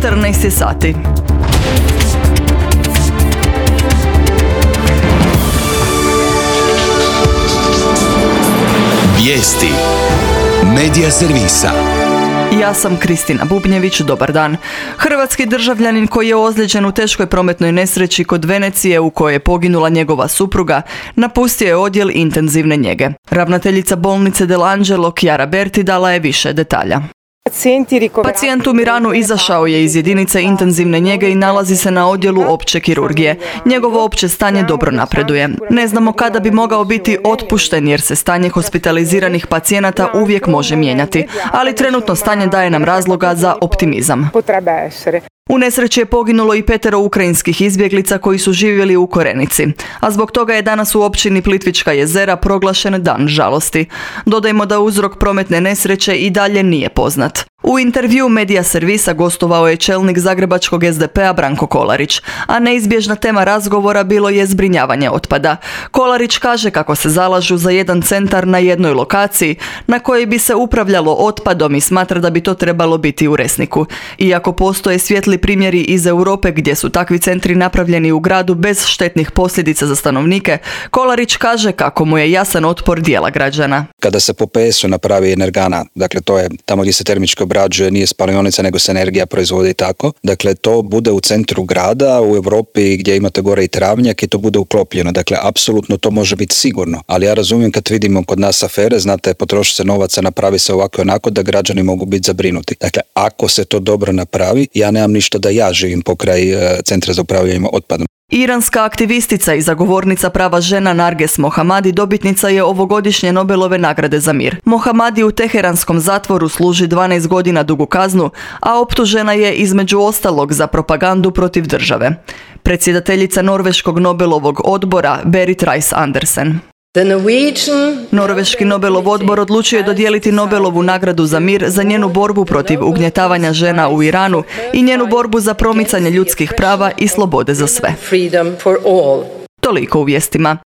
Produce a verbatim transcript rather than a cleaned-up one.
četrnaest sati. Vijesti Medija servisa. Ja sam Kristina Bubnjević, dobar dan. Hrvatski državljanin koji je ozlijeđen u teškoj prometnoj nesreći kod Venecije u kojoj je poginula njegova supruga, napustio je odjel intenzivne njege. Ravnateljica bolnice Dell'Angelo Chiara Berti dala je više detalja. Pacijent u Miranu izašao je iz jedinice intenzivne njege i nalazi se na odjelu opće kirurgije. Njegovo opće stanje dobro napreduje. Ne znamo kada bi mogao biti otpušten jer se stanje hospitaliziranih pacijenata uvijek može mijenjati, ali trenutno stanje daje nam razloga za optimizam. U nesreći je poginulo i petero ukrajinskih izbjeglica koji su živjeli u Korenici, a zbog toga je danas u općini Plitvička jezera proglašen dan žalosti. Dodajmo da uzrok prometne nesreće i dalje nije poznat. U intervju Medija servisa gostovao je čelnik zagrebačkog es de pe-a Branko Kolarić, a neizbježna tema razgovora bilo je zbrinjavanje otpada. Kolarić kaže kako se zalažu za jedan centar na jednoj lokaciji na kojoj bi se upravljalo otpadom i smatra da bi to trebalo biti u Resniku. Iako postoje svijetli primjeri iz Europe gdje su takvi centri napravljeni u gradu bez štetnih posljedica za stanovnike, Kolarić kaže kako mu je jasan otpor dijela građana. Kada se po pe esu napravi energana, dakle to je tamo gdje se termički obrađuje, nije spalionica nego se energija proizvodi i tako, dakle to bude u centru grada, u Europi gdje imate gore i travnjak i to bude uklopljeno, dakle apsolutno to može biti sigurno, ali ja razumijem kad vidimo kod nas afere, znate, potroši se novaca, napravi se ovako i onako da građani mogu biti zabrinuti. Dakle, ako se to dobro napravi, ja nemam ništa da ja živim pokraj uh, centra za upravljanje otpadom. Iranska aktivistica i zagovornica prava žena Narges Mohammadi dobitnica je ovogodišnje Nobelove nagrade za mir. Mohammadi u teheranskom zatvoru služi dvanaest godina dugu kaznu, a optužena je između ostalog za propagandu protiv države. Predsjedateljica Norveškog Nobelovog odbora Berit Reiss-Andersen. Norveški Nobelov odbor odlučio je dodijeliti Nobelovu nagradu za mir za njenu borbu protiv ugnjetavanja žena u Iranu i njenu borbu za promicanje ljudskih prava i slobode za sve. Toliko u vijestima.